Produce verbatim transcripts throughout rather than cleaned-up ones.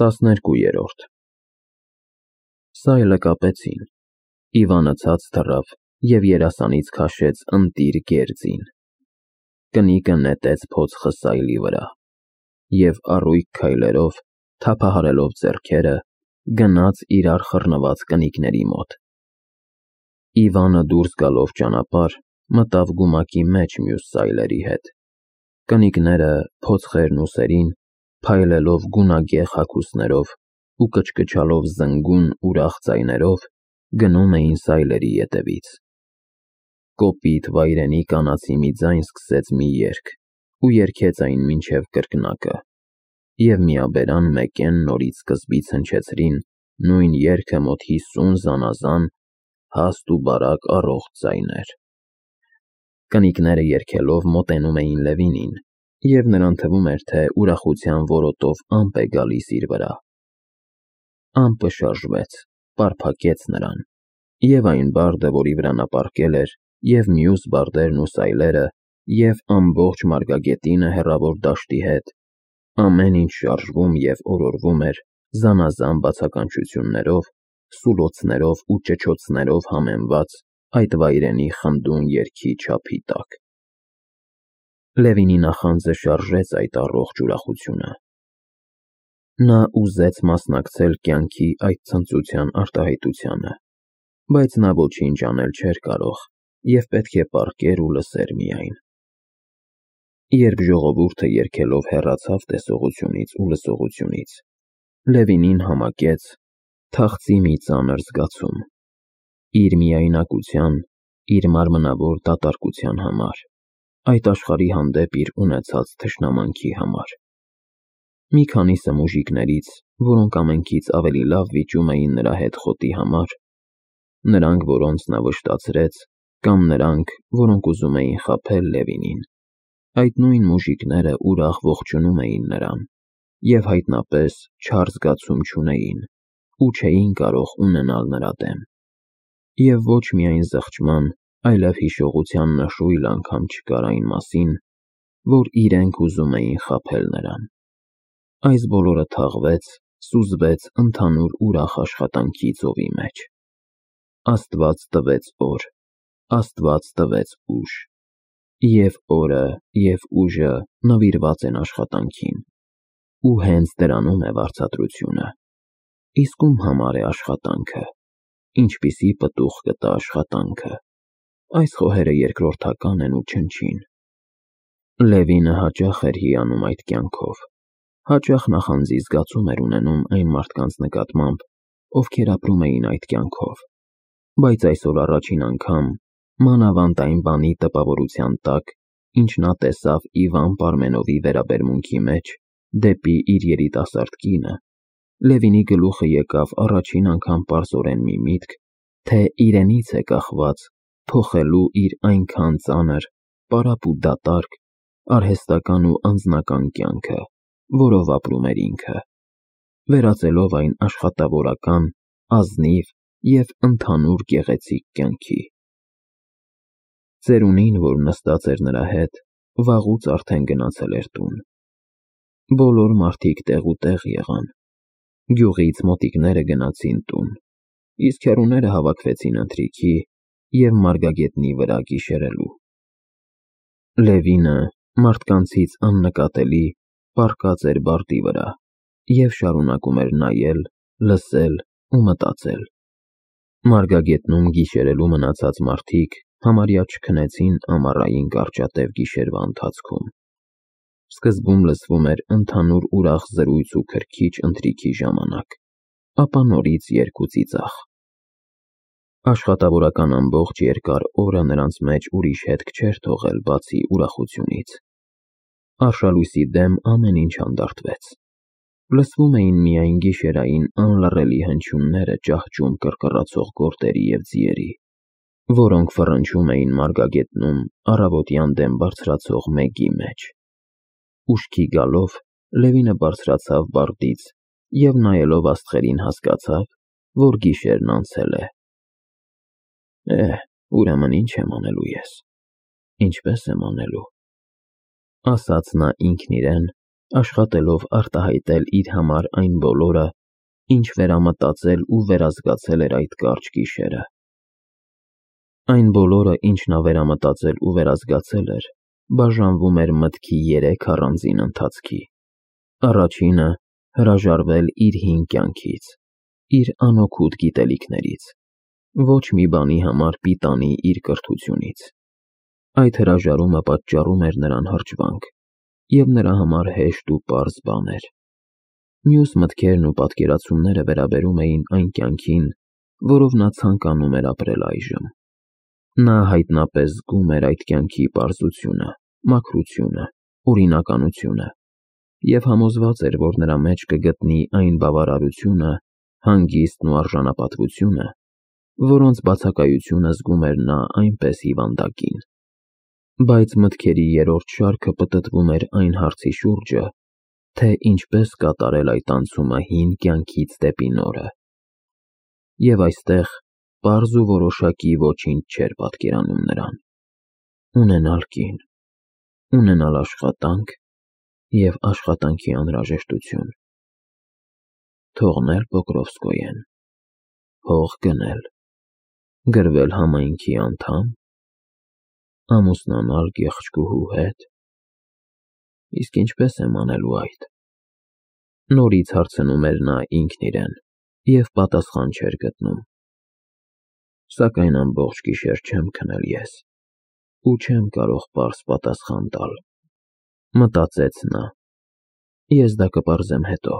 Տասներկուերորդ Սայլը կապեցին, Իվանը ցած թռավ և երասանից քաշեց ընտիր գերձին, կնիկը նետեց փոձխը սայլի վրա, և առույգ քայլերով, թափահարելով ձեռքերը, գնաց իրար խռնված կնիկների մոտ: Իվանը դուրս գալով ճանապարհ, մտավ գումակի մեջ մյուս սայլերի հետ: Կնիկները, փոձխերն ու սերին, փայլելով գունագեղ հագուստներով ու կչկչալով զնգուն ուրախ ձայներով, գնում էին սայլերի ետևից: Կոպիտ վայրենի կանացի մի ձայն սկսեց մի երգ ու երգեց այն մինչև կրկնակը, և միաբերան մեկեն նորից սկզբից հնչեցրին նույն երգը մոտ հիսուն զանազան, հաստ ու բարակ առողջ ձայներ: Կնիկները երգելով մոտենում էին Լևինին, և նրան թվում էր, թե ուրախության որոտով ամպ է գալիս իր վրա: Ամպը շարժվեց, պարփակեց նրան, և այն բարդը, որի վրա նա պառկել էր, և մյուս բարդերն ու սայլերը, և ամբողջ մարգագետինը հեռավոր դաշտի հետ, ամեն ինչ շարժվում և օրորվում էր զանազան բացականչություններով, սուլոցներով ու ճչոցներով համեմված այդ վայրենի խմդուն երգի չափի տակ: Լևինի նախանձը շարժեց այդ առողջ ուրախությունը: Նա ուզեց մասնակցել կյանքի այդ ցնծության արտահայտությանը, բայց նա ոչինչ անել չէր կարող և պետք է պառկեր ու լսեր միայն: Երբ ժողովուրդը երգելով հեռացավ տեսողությունից ու լսողությունից, Լևինին համակեց, թախծի մի ծանր զգացում, իր միայնակության, իր մարմնավոր դատարկության համար, այդ աշխարհի հանդեպ իր ունեցած թշնամանքի համար: Մի քանիսը մուժիկներից, որոնք ամենքից ավելի լավ վիճում էին նրա հետ խոտի համար, նրանք, որոնց նա վշտացրեց, կամ նրանք, որոնք ուզում էին խաբել Լևինին, այդ նույն մուժիկները ուրախ ողջունում էին նրան և հայտնապես չար զգացում չունեին ու չէին կարող ունենալ նրա դեմ: Եվ ոչ միայն զղջման, այլև հիշողության նշույլ անգամ չկար այն մասին, որ իրենք ուզում էին խաբել նրան: Այս բոլորը թաղվեց, սուզվեց ընդհանուր ուրախ աշխատանքի ծովի մեջ: Աստված տվեց օր, Աստված տվեց ուժ, և օրը և ուժը նվիրված են աշխատանքին: Ու հենց դրանում է վարձատրությունը: Իսկ ում համար է աշխատանքը, ինչպիսի պտուղ կտա աշխատանքը: Այս խոհերը երկրորդական են ու չնչին: Լևինը հաճախ էր հիանում այդ կյանքով, հաճախ նախանձի զգացում էր ունենում այն մարդկանց նկատմամբ, ովքեր ապրում էին այդ կյանքով, բայց այսօր առաջին անգամ, մանավանդ այն բանի տպավորության տակ, ինչ նա տեսավ Իվան Պարմենովի վերաբերմունքի մեջ դեպի իր երիտասարդ կինը, Լևինի գլուխը եկավ առաջին անգամ պարզորեն մի միտք, թե իրենից է կախված փոխելու իր այնքան ծանր, պարապ ու դատարկ, արհեստական ու անձնական կյանքը, որով ապրում էր ինքը, վերածելով այն աշխատավորական, ազնիվ և ընդհանուր գեղեցիկ կյանքի: Ծերունին, որ նստած էր նրա հետ, վաղուց արդեն գնացել էր տուն: Բոլոր մարդիկ տեղուտեղ եղան: Գյուղից մոտիկները գնացին տուն, իսկ հեռուները հավաքվեցին ընթրիքի և մարգագետնի վրա գիշերելու: Լևինը, մարդկանցից աննկատելի, պառկած էր բարտի վրա և շարունակում էր նայել, լսել ու մտածել: Մարգագետնում գիշերելու մնացած մարդիկ համարյա չքնեցին ամառային կարճատև գիշերվա ընթացքում: Սկզբում լսվում էր ընդհանուր ուրախ զրույց ու քրքիջ ընթրիքի ժամանակ, ապա նորից երգ ու ծիծաղ: Աշխատավորական ամբողջ երկար օրը նրանց մեջ ուրիշ հետք չէր թողել բացի ուրախությունից: Արշալույսի դեմ ամեն ինչ հանդարտվեց: Լսվում էին միայն գիշերային անլռելի հնչյունները ճահճում կռկռացող գորտերի և ձիերի, որոնք ֆռնչում էին մարգագետնում առավոտյան դեմ բարձրացող մեգի մեջ: Ուշքի գալով, Լևինը բարձրացավ բարտից և նայելով աստղերին հասկացավ, որ գիշերն անցել է: Է՜, ուրեմն ինչ եմ անելու ես, ինչպե՞ս եմ անելու: Ասաց նա ինքն իրեն աշխատելով արտահայտել իր համար այն բոլորը, ինչ վերամտածել ու վերազգացել էր այդ կարճ գիշերը։ Այն բոլորը, ինչ նա վերամտածել ու վերազգացել էր, բաժանվում էր մտքի երեք առանձին ընթացքի։ Առաջինը հրաժարվել իր հին կյանքից, իր անօգուտ գիտելիքներից, ոչ մի բանի համար պիտանի իր կրթությունից։ Այդ հրաժարումը պատճառում էր նրան հրճվանք, և նրա համար հեշտ ու պարզ բան էր։ Մյուս մտքերն ու պատկերացումները վերաբերում էին այն կյանքին, որով նա ցանկանում էր ապրել այժմ։ Նա հայտնապես զգում էր այդ կյանքի պարզությունը, մաքրությունը, օրինականությունը և համոզված էր, որ նրա մեջ կգտնի այն բավարարությունը, հանգիստն ու արժանապատվությունը, որոնց բացակայությունը զգում էր նա այնպես հիվանդակին։ Բայց մտքերի երրորդ շարքը պտտվում էր այն հարցի շուրջը, թե ինչպես կատարել այդ անցումը հին կյանքից դեպի նորը։ Եվ այստեղ պարզ ու որոշակի ոչինչ չէր պատկերանում նրան։ Ունենալ կին, ունենալ աշխատանք և աշխատանքի անհրաժեշտություն, թողնել Պոկրովսկոյեն, հող գնել, գրվել համայնքի անդամ, ամուսնանալ գեղեցկուհու հետ։ Իսկ ինչպե՞ս եմ անելու այդ։ Նորից հարցնում էր նա ինքն իրեն և պատասխան չէր գտնում։ Սակայն ամբողջ գիշեր չեմ քնել ես ու չեմ կարող պարզ պատասխան տալ, մտածեց նա։ Ես դա կպարզեմ հետո։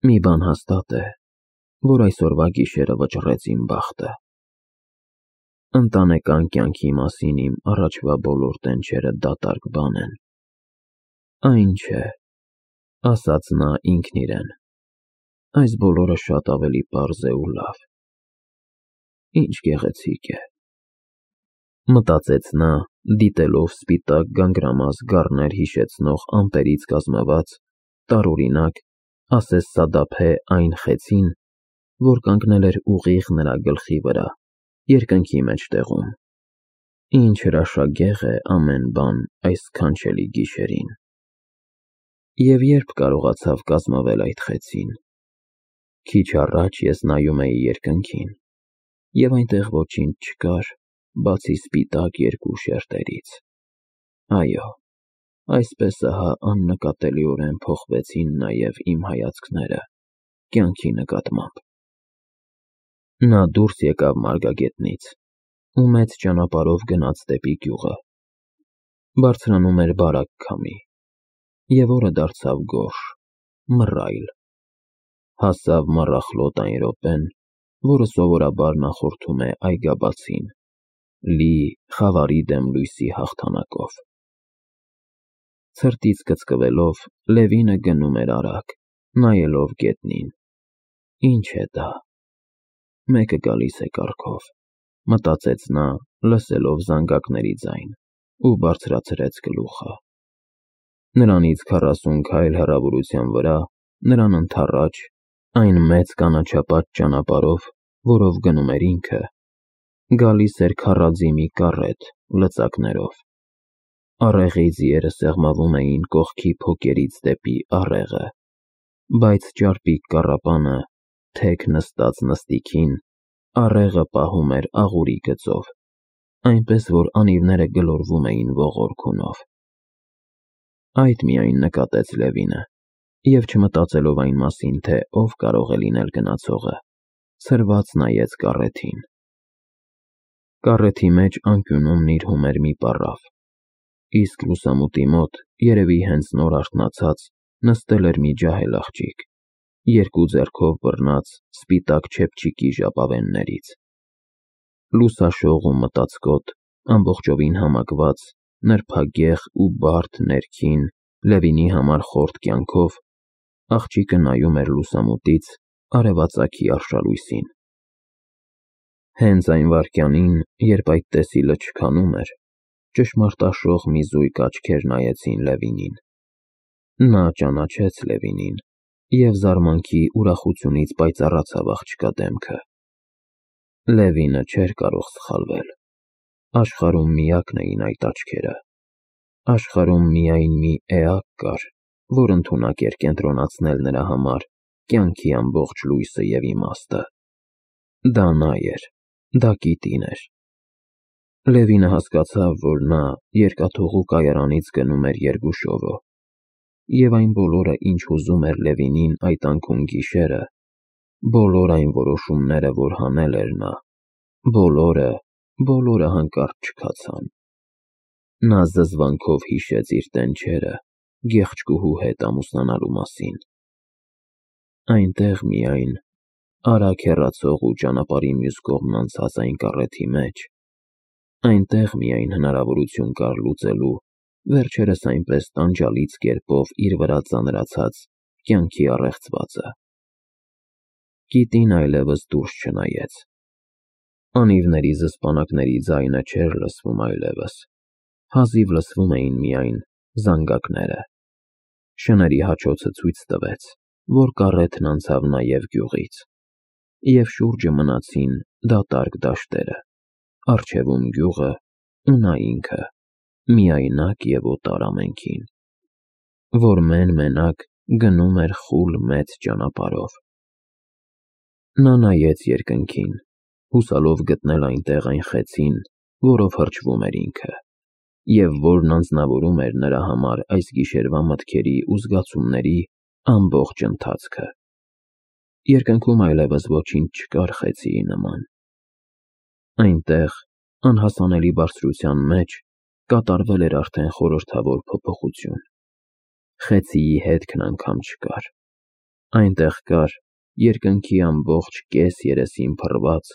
Մի բան հաստատ է, որ այսօրվա գիշերը վճռեց իմ բախտը։ Ընտանեկան կյանքի մասին իմ առաջվա բոլոր տենչերը դատարկ բան են։ Այն չէ, ասաց նա ինքն իրեն, այս բոլորը շատ ավելի պարզ է ու լավ։ Ինչ գեղեցիկ է, մտածեց նա, դիտելով սպիտակ գանգրամազ գառներ հիշեցնող ամպերից կազմված, տարօրինակ, ասես սադափե այն խեցին, որ կանգնել էր ուղիղ նրա գլխի վրա, երկնքի մեջտեղում։ Ինչ հրաշագեղ է ամեն բան այս սքանչելի գիշերին։ Եվ երբ կարողացավ կազմվել այդ խեցին։ Քիչ առաջ ես նայում էի երկնքին, և այնտեղ ոչինչ չկար, բացի սպիտակ երկու շերտերից։ Այո, այսպես ահա աննկատելիորեն փոխվեցին նաև իմ հայացքները կյանքի նկատմամբ։ Նա դուրս եկավ մարգագետնից ու մեծ ճանապարհով գնաց դեպի գյուղը։ Բարձրանում էր բարակ քամի, և օրը դարձավ գորշ, մռայլ։ Հասավ մառախլոտ այն րոպեն, որը սովորաբար նախորդում է այգաբացին, լի խավարի դեմ լույսի հաղթանակով։ Ցրտից կծկվելով, Լևինը գնում էր արագ, նայելով գետնին։ Ինչ է դա։ Մեկը գալիս է կառքով, մտածեց նա, լսելով զանգակների ձայն, ու բարձրացրեց գլուխը։ Նրանից քառասուն քայլ հեռավորության վրա, նրան ընդառաջ, այն մեծ կանաչապատ ճանապարհով, որով գնում էր ինքը, գալիս էր քառաձի մի կառետ լծակներով։ Առեղի ձիերը սեղմվում էին կողքի փոկերից դեպի առեղը, բայց ճարպիկ կառապանը, թեք նստած նստիքին, առեղը պահում էր աղուրի գծով, այնպես որ անիվները գլորվում էին ողորքունով։ Այդ միայն նկատեց Լևինը, և չմտածելով այն մասին, թե ով կարող է լինել գնացողը, ցրված նայեց կառեթին։ Կառեթի մեջ անկյունում նիրհում էր մի պառավ, իսկ լուսամուտի մոտ, երևի հենց նոր արթնացած, նստել էր մի ջահել աղջիկ, երկու ձեռքով բռնած սպիտակ չեփչիկի ժապավեններից։ Լուսաշող ու մտածկոտ, ամբողջովին համակված, նրբագեղ ու բարդ ներքին, Լևինի համար խորթ կյանքով, աղջիկը նայում էր լուսամուտից արևածագի արշալույսին։ Հենց այն վայրկյանին, երբ այդ տեսիլը չքանում էր, ճշմարտաշող մի զույգ աչքեր նայեցին Լևինին։ Նա ճանաչեց Լևինին և զարմանքի ուրախությունից պայծառացավ աղջկա դեմքը։ Լևինը չէր կարող սխալվել։ Աշխարհում միակն էին այդ աչքերը։ Աշխարհում միայն մի էակ կար, որ ընդունակ էր կենտրոնացնել նրա համար կյանքի ամբողջ լույսը և իմաստը։ Դա նա էր, դա Կիտին էր։ Լևինը հասկացավ, որ նա երկաթուղու կայարանից գնում էր Երգուշովո, և այն բոլորը, ինչ ուզում էր Լևինին այդ անքուն-գիշերը, բոլոր այն որոշումները, որ հանել էր նա, բոլորը, բոլորը հանկարծ չքացան։ Նա զզվանքով հիշեց իր տենչերը գեղեցկուհու հետ ամուսնանալու մասին։ Այնտեղ միայն, արագ հեռացող ու ճանապարհի մյուս կողմն անցած այն կառեթի մեջ, այնտեղ միայն հնարավորություն կար լուծելու վերջերս այնպես տանջալից կերպով իր վրա ծանրացած կյանքի առեղծվածը։ Կիտին այլևս դուրս չնայեց։ Անիվների զսպանակների ձայնը չէր լսվում այլևս, հազիվ լսվում էին միայն զանգակները։ Շների հաչոցը ցույց տվեց, որ կառեթն անցավ նաև գյուղից, և շուրջը մնացին դատարկ դաշտերը, առջևում գյուղը ու նա ինքը, միայնակ և օտար ամենքին, որ մեն֊մենակ գնում էր խուլ մեծ ճանապարհով։ Նա նայեց երկնքին, հուսալով գտնել այնտեղ այն խեցին, որով հրճվում էր ինքը, և որն անձնավորում էր նրա համար այս գիշերվա մտքերի ու զգացումների ամբողջ ընթացքը։ Երկնքում այլևս ոչինչ չկար խեցիի նման։ Այնտեղ, անհասանելի բարձրության մեջ, կատարվել էր արդեն խորհրդավոր փոփոխություն։ Խեցիի հետքն անգամ չկար։ Այնտեղ կար երկնքի ամբողջ կես երեսին փռված,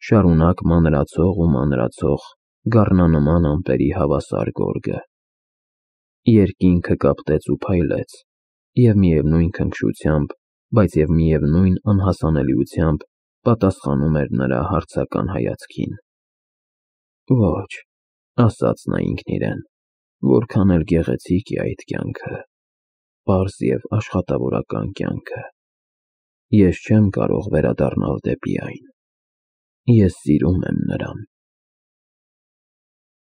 շարունակ մանրացող ու մանրացող գառնանման ամպերի հավասար գորգը։ Երկինքը կապտեց ու փայլեց, և միևնույն քնքշությամբ, բայց և միևնույն անհասանելիությամբ պատասխանում էր նրա հարցական հայացքին։ Ոչ, ասաց նա ինքն իրեն, որքան էլ գեղեցիկ է այդ կյանքը, պարզ և աշխատավորական կյանքը, ես չեմ կարող վերադառնալ դեպի այն։ Ես սիրում եմ նրան։